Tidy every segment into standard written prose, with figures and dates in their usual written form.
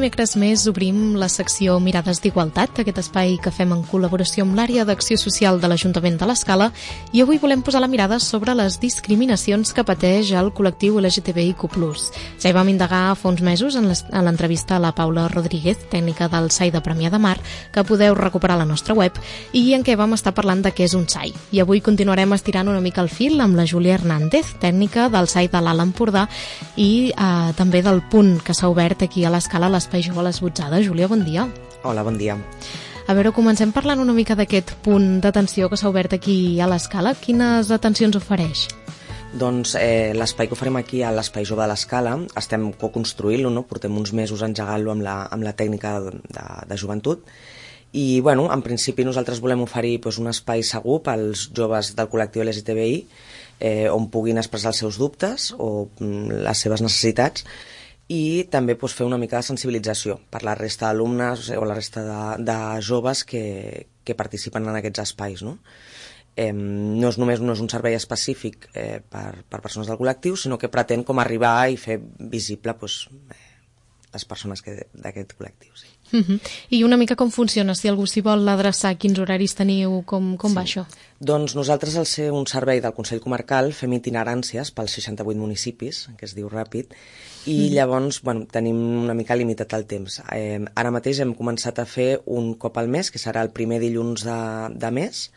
dimecres més obrim la secció Mirades d'Igualtat, aquest espai que fem en col·laboració amb l'àrea d'acció social de l'Ajuntament de l'Escala, i avui volem posar la mirada sobre les discriminacions que pateix el col·lectiu LGTBIQ+. Ja hi vam indagar fa uns mesos en l'entrevista a la Paula Rodríguez, tècnica del SAI de Premià de Mar, que podeu recuperar a la nostra web, i en què vam estar parlant de què és un SAI. I avui continuarem estirant una mica el fil amb la Júlia Hernández, tècnica del SAI de l'Alt Empordà, i també del punt que s'ha obert aquí a l'Escala, l'Espai Jove a les Botzades. Júlia, bon dia. Hola, bon dia. A veure, comencem parlant una mica d'aquest punt d'atenció que s'ha obert aquí a l'Escala. Quines atencions ofereix? Doncs l'espai que oferim aquí a l'Espai Jove de l'Escala estem co-construint-lo, no? Portem uns mesos engegant-lo amb la tècnica de joventut i, bueno, en principi nosaltres volem oferir un espai segur pels joves del col·lectiu LGTBI on puguin expressar els seus dubtes o les seves necessitats i també fer una mica de sensibilització per la resta d'alumnes o la resta de joves que participen en aquests espais, no? No és un servei específic per persones del col·lectiu, sinó que pretén com arribar i fer visible les persones d'aquest col·lectiu. Sí. I una mica com funciona? Si algú s'hi vol adreçar, quins horaris teniu? Com va això? Doncs nosaltres, al ser un servei del Consell Comarcal, fem itineràncies pels 68 municipis, que es diu ràpid, i llavors tenim una mica limitat el temps. Ara mateix hem començat a fer un cop al mes, que serà el primer dilluns de mes,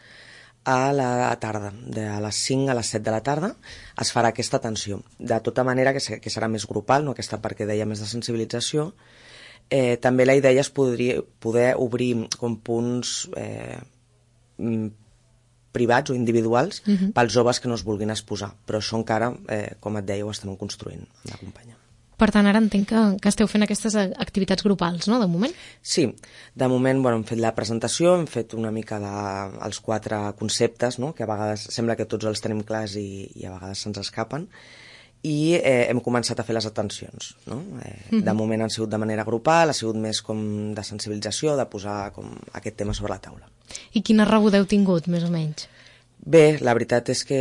a la tarda, de les 5 a les 7 de la tarda, es farà aquesta atenció. De tota manera que serà més grupal, no aquesta part que deia més de sensibilització. També la idea és poder obrir com punts privats o individuals pels joves que no es vulguin exposar, però això encara, com et deia, ho estem construint amb la companya. Per tant, ara entenc que esteu fent aquestes activitats grupals, no?, de moment? Sí, de moment hem fet la presentació, hem fet una mica els 4 conceptes, no?, que a vegades sembla que tots els tenim clars i a vegades se'ns escapen, i hem començat a fer les atencions, no? De moment han sigut de manera grupal, ha sigut més com de sensibilització, de posar com aquest tema sobre la taula. I quina rebuda heu tingut, més o menys? Bé, la veritat és que,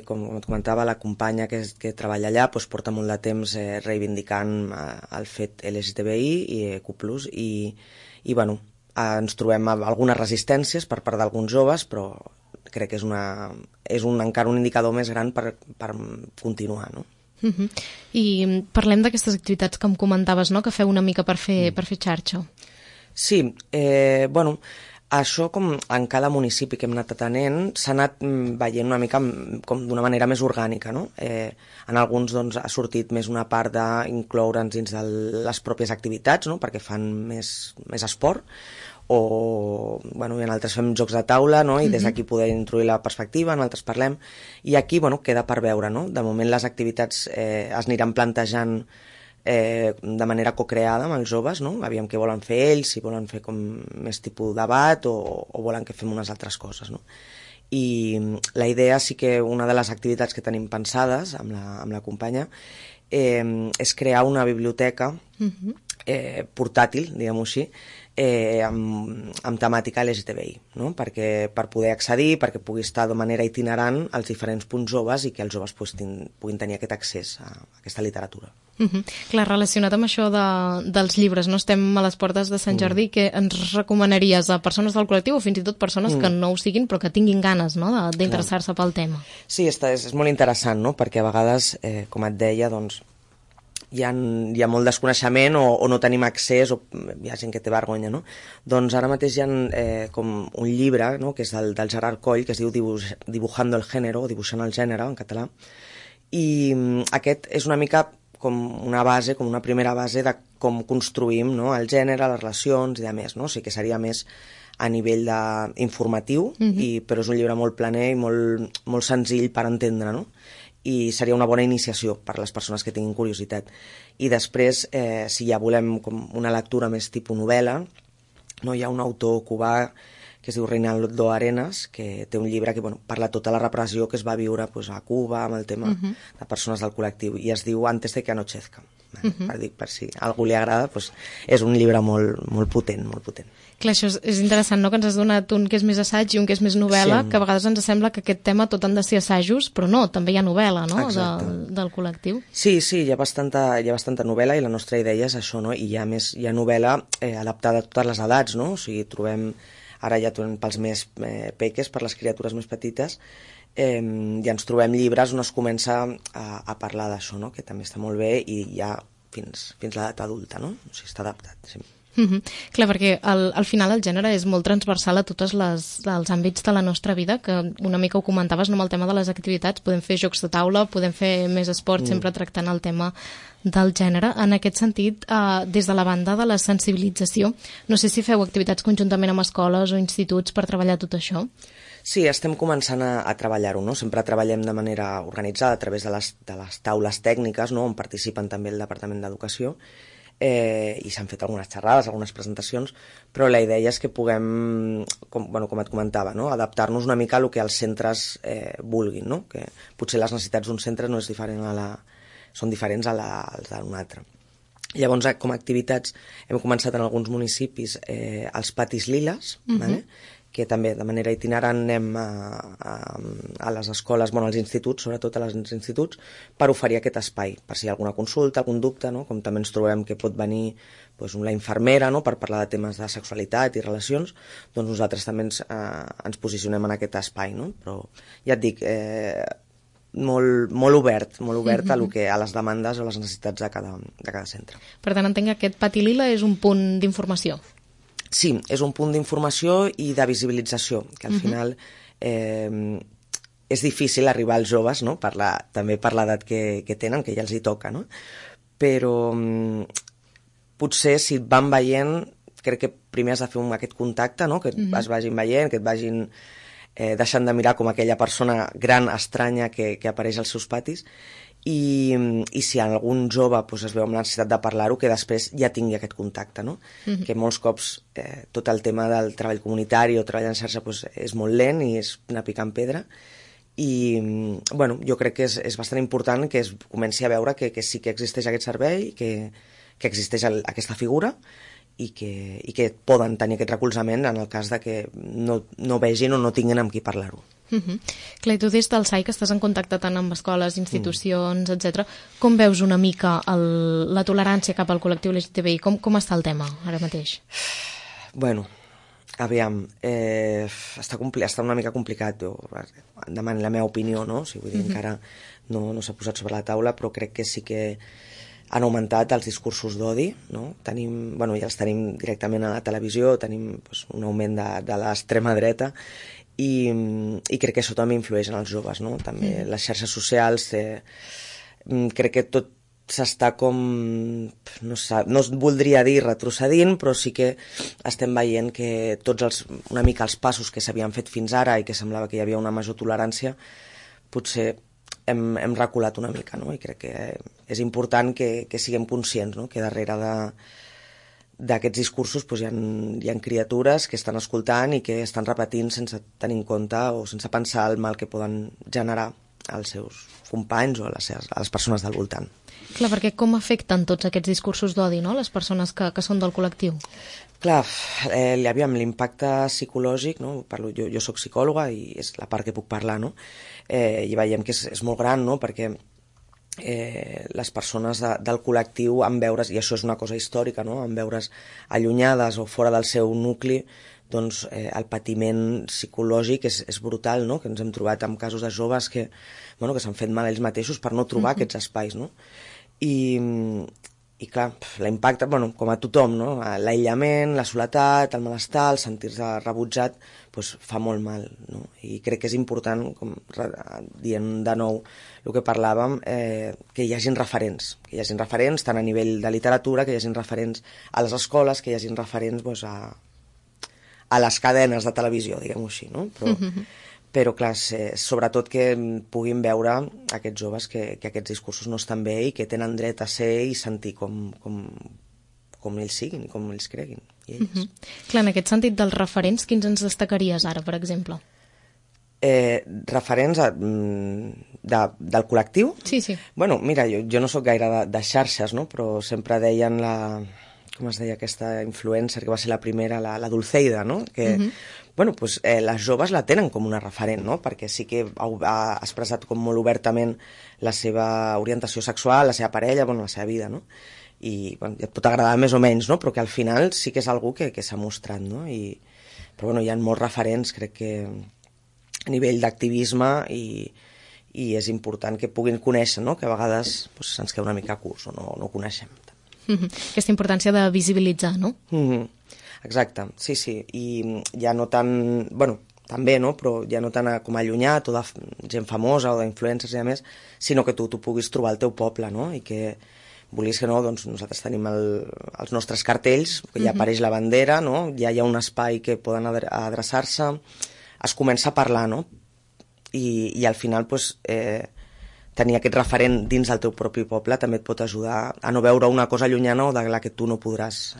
com et comentava, la companya que treballa allà porta molt de temps reivindicant el fet LGTBI i EQ+, i bueno, ens trobem algunes resistències per part d'alguns joves, però crec que és encara un indicador més gran per continuar, no? I parlem d'aquestes activitats que em comentaves, no?, que feu una mica per fer xarxa. Sí, bueno, això com en cada municipi que hem anat atenent s'ha anat veient una mica com d'una manera més orgànica, no? En alguns ha sortit més una part d'incloure'ns dins de les pròpies activitats, no?, perquè fan més esport, o bueno, en altres fem jocs de taula, no?, i des d'aquí poder introduir la perspectiva, en altres parlem, i aquí queda per veure, no? De moment les activitats es aniran plantejant de manera cocreada amb els joves, no? Aviam què volen fer ells, si volen fer com més tipus debat o volen que fem unes altres coses, no? I la idea sí que una de les activitats que tenim pensades amb la companya és crear una biblioteca portàtil, diguem-ho així, amb temàtica LGTBI, no? Per poder accedir, perquè pugui estar de manera itinerant als diferents punts joves i que els joves puguin tenir aquest accés a aquesta literatura. Clar, relacionat amb això dels llibres, no? Estem a les portes de Sant Jordi, que ens recomanaries a persones del col·lectiu o fins i tot persones que no ho siguin però que tinguin ganes, no?, d'interessar-se pel tema? Sí, és molt interessant, no?, perquè a vegades, com et deia, doncs hi ha molt desconeixement o no tenim accés, o hi ha gent que té vergonya, no? Doncs ara mateix hi ha com un llibre, no?, que és del Gerard Coll, que es diu Dibujando el género, o Dibuixant el gènere, en català, i aquest és una mica com una base, com una primera base de com construïm, no?, el gènere, les relacions i de més, no? O sigui que seria més a nivell informatiu, però és un llibre molt planer i molt senzill per entendre, no? I seria una bona iniciació per a les persones que tinguin curiositat. I després, si ja volem com una lectura més tipus novel·la, no, hi ha un autor cubà que es diu Reinaldo Arenas, que té un llibre que parla tota la repressió que es va viure a Cuba amb el tema de persones del col·lectiu, i es diu Antes de que anochezca. per si a algú li agrada, doncs és un llibre molt potent, molt potent. Clar, això és interessant, no?, que ens has donat un que és més assaig i un que és més novel·la, que a vegades ens sembla que aquest tema tot han de ser assajos, però no, també hi ha novel·la, no?, del col·lectiu. Sí, hi ha bastanta novel·la, i la nostra idea és això, no?, i hi ha novel·la adaptada a totes les edats, no?, o sigui, trobem, ara ja pels més peques, per les criatures més petites, ja ens trobem llibres on es comença a parlar d'això, no?, que també està molt bé, i ja fins l'edat adulta, no?, o sigui, està adaptat, sí. Clar, perquè al final el gènere és molt transversal a tots els àmbits de la nostra vida, que una mica ho comentaves, no, amb el tema de les activitats, podem fer jocs de taula, podem fer més esport, sempre tractant el tema del gènere. En aquest sentit, des de la banda de la sensibilització, no sé si feu activitats conjuntament amb escoles o instituts per treballar tot això? Sí, estem començant a treballar-ho, no? Sempre treballem de manera organitzada a través de les taules tècniques, no?, on participen també el Departament d'Educació, i s'han fet algunes xerrades, algunes presentacions, però la idea és que puguem, com et comentava, no?, adaptar-nos una mica a el que els centres vulguin, no?, que potser les necessitats d'un centre no és diferent són diferents a les d'un altre. Llavors, com a activitats, hem començat en alguns municipis els patis liles, que també de manera itinerant anem a les escoles, als instituts, sobretot als instituts, per oferir aquest espai, per si hi ha alguna consulta, algun dubte, no?, com també ens trobem que pot venir la infermera, no?, per parlar de temes de sexualitat i relacions, doncs nosaltres també ens posicionem en aquest espai, no?, però ja et dic, molt obert a les demandes o les necessitats de cada centre. Per tant, entenc que aquest pati lila és un punt d'informació. Sí, és un punt d'informació i de visibilització, que al final és difícil arribar als joves, no?, també per l'edat que tenen, que ja els hi toca, no?, però potser si et van veient, crec que primer has de fer aquest contacte, no?, que es vagin veient, que et vagin deixant de mirar com aquella persona gran, estranya, que apareix als seus patis, i si algun jove es veu amb la necessitat de parlar-ho, que després ja tingui aquest contacte, no? Que molts cops tot el tema del treball comunitari o treball en xarxa és molt lent i és una pica en pedra, i jo crec que és bastant important que es comenci a veure que sí que existeix aquest servei, que existeix aquesta figura, i que poden tenir aquest recolzament en el cas de que no vegin o no tinguin amb qui parlar-ho. Clar, i tu des del SAI, que estàs en contacte tant amb escoles, institucions, etc., com veus una mica la tolerància cap al col·lectiu LGTBI? Com està el tema ara mateix? Bueno, aviam, està una mica complicat, demano la meva opinió, no? O sigui, vull dir, encara no s'ha posat sobre la taula, però crec que sí que han augmentat els discursos d'odi, no? Ja els tenim directament a la televisió, tenim un augment de l'extrema dreta, i crec que això també influeix en els joves, no? També les xarxes socials, crec que tot s'està com, no voldria dir retrocedint, però sí que estem veient que una mica els passos que s'havien fet fins ara i que semblava que hi havia una major tolerància, potser hem reculat una mica, no? I crec que és important que siguem conscients, no?, que darrere d'aquests discursos hi ha criatures que estan escoltant i que estan repetint sense tenir en compte o sense pensar el mal que poden generar als seus companys o a les persones del voltant. Clar, perquè com afecten tots aquests discursos d'odi, no?, les persones que són del col·lectiu? Clar, l'impacte psicològic, no? Jo soc psicòloga i és la part que puc parlar, no? I veiem que és molt gran, no?, perquè les persones del col·lectiu, en veure's, i això és una cosa històrica, no?, en veure's allunyades o fora del seu nucli, doncs el patiment psicològic és brutal, no?, que ens hem trobat amb casos de joves que s'han fet mal ells mateixos per no trobar aquests espais, no? I clar, l'impacte, com a tothom, no?, l'aïllament, la soledat, el malestar, el sentir-se rebutjat, fa molt mal, no? I crec que és important, com dient de nou el que parlàvem, que hi hagin referents, tant a nivell de literatura, que hi hagin referents a les escoles, que hi hagin referents a les cadenes de televisió, diguem-ho així, no? Però clar, sobretot que puguin veure aquests joves que aquests discursos no estan bé i que tenen dret a ser i sentir com ells siguin i com ells creguin. I elles. Clar, en aquest sentit dels referents, quins ens destacaries ara, per exemple? Referents del col·lectiu? Sí. Bueno, mira, jo no sóc gaire de xarxes, no? Però sempre deien com es deia aquesta influencer que va ser la primera, la Dulceida, no? Que, bueno, pues, les joves la tenen com una referent, no? Perquè sí que ha expressat com molt obertament la seva orientació sexual, la seva parella, bueno, la seva vida, no? I bueno, et pot agradar més o menys, no? Però que al final sí que és algú que s'ha mostrat, no? Però bueno, hi ha molts referents, crec que a nivell d'activisme i és important que puguin conèixer, no? Que a vegades pues, se'ns queda una mica curts o no coneixem. Aquesta importància de visibilitzar, no? Exacte, sí. I ja no tant... Bueno, també, no? Però ja no tant com allunyat o de gent famosa o d'influencers i a més, sinó que tu puguis trobar el teu poble, no? I que vulguis que no, doncs nosaltres tenim els nostres cartells, que ja apareix la bandera, no? Ja hi ha un espai que poden adreçar-se, es comença a parlar, no? I al final, pues, tenir aquest referent dins del teu propi poble també et pot ajudar a no veure una cosa llunyana o de la que tu no podràs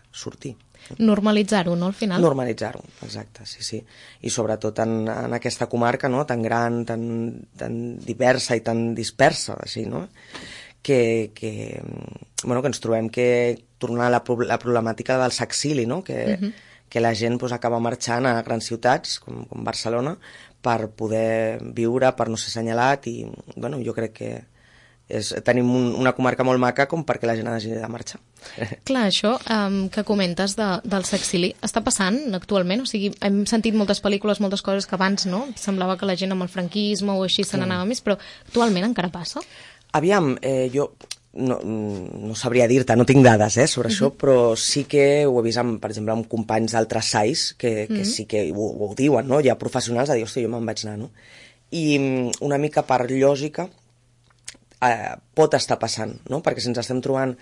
sortir. Normalitzar-ho, no, al final? Normalitzar-ho, exacte, sí. I sobretot en aquesta comarca, no?, tan gran, tan diversa i tan dispersa, així, no?, que ens trobem que tornar a la problemàtica del sexili, no?, que la gent pues, acaba marxant a grans ciutats, com Barcelona, per poder viure, per no ser assenyalat, i bueno, jo crec que tenim una comarca molt maca com perquè la gent hagi de marxar. Clar, això que comentes del sexili està passant actualment? O sigui, hem sentit moltes pel·lícules, moltes coses que abans no semblava que la gent amb el franquisme o així se n'anava més, però actualment encara passa? Aviam, jo no sabria dir-te, no tinc dades sobre això, però sí que ho he vist, per exemple, amb companys d'altres SAIs que sí que ho diuen, no? Hi ha professionals a dir, hòstia, jo me'n vaig anar, no? I una mica per lògica pot estar passant, no? Perquè si ens estem trobant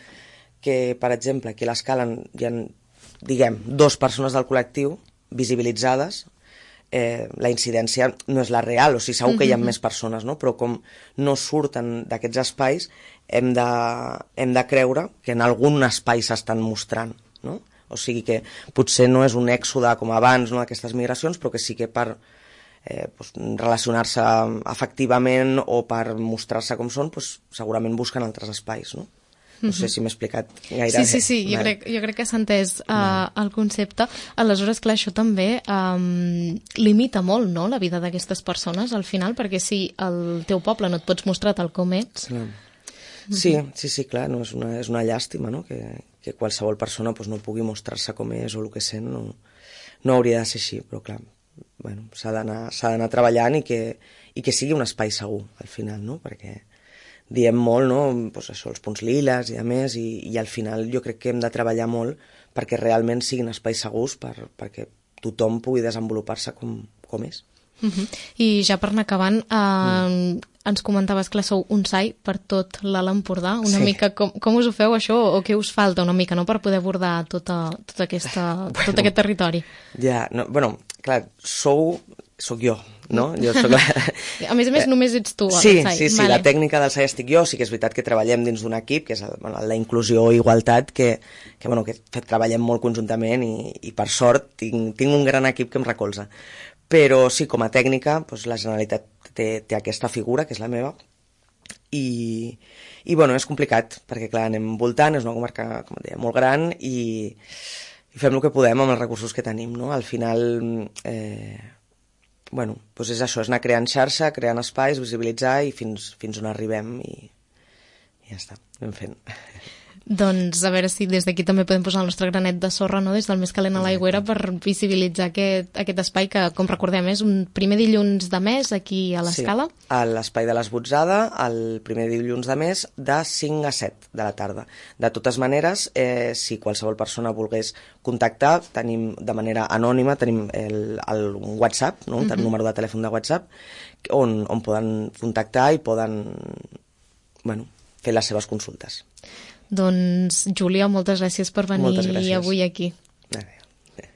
que, per exemple, aquí a l'Escala hi ha, diguem, 2 persones del col·lectiu visibilitzades, la incidència no és la real, o sigui, segur que hi ha més persones, no? Però com no surten d'aquests espais, hem de creure que en algun espai s'estan mostrant, no? O sigui que potser no és un èxode com abans, no?, d'aquestes migracions, però que sí que per relacionar-se efectivament o per mostrar-se com són, segurament busquen altres espais, no? No sé si m'he explicat gaire. Sí, jo crec que s'ha entès el concepte. Aleshores, clar, això també limita molt, no?, la vida d'aquestes persones, al final, perquè si el teu poble no et pots mostrar tal com ets... Sí, clar, no, és una llàstima, no?, que qualsevol persona no pugui mostrar-se com és o el que sent, no hauria de ser així, però clar, bueno, s'ha d'anar treballant i que sigui un espai segur, al final, no?, perquè diem molt, no?, doncs això, els punts liles i a més, i al final jo crec que hem de treballar molt perquè realment siguin espais segurs perquè tothom pugui desenvolupar-se com és. I ja per anar acabant, ens comentaves que sou un SAI per tot l'Alt Empordà, una mica com us ho feu això, o què us falta una mica, no?, per poder abordar tot aquest territori. Ja, bueno, clar, soc jo, no? Jo soc A més, només ets tu al SAI. Sí, la tècnica del SAI estic jo, sí que és veritat que treballem dins d'un equip, que és la inclusió i igualtat, que treballem molt conjuntament i per sort tinc un gran equip que em recolza. Però sí, com a tècnica, la Generalitat té aquesta figura, que és la meva, i bueno, és complicat, perquè clar, anem voltant, és una comarca, com et deia, molt gran, i fem el que podem amb els recursos que tenim, no? Al final, bueno, doncs és això, és anar creant xarxa, creant espais, visibilitzar i fins on arribem i ja està, anem fent. Doncs a veure si des d'aquí també podem posar el nostre granet de sorra, no?, des del Més Calent a l'Aigüera, per visibilitzar aquest espai que, com recordem, és un primer dilluns de mes aquí a l'Escala. Sí, a l'espai de l'Esbotzada, el primer dilluns de mes de 5 a 7 de la tarda. De totes maneres, si qualsevol persona volgués contactar, tenim de manera anònima, tenim un WhatsApp, no?, un número de telèfon de WhatsApp, on poden contactar i poden fer les seves consultes. Doncs, Júlia, moltes gràcies per venir avui aquí. Adéu.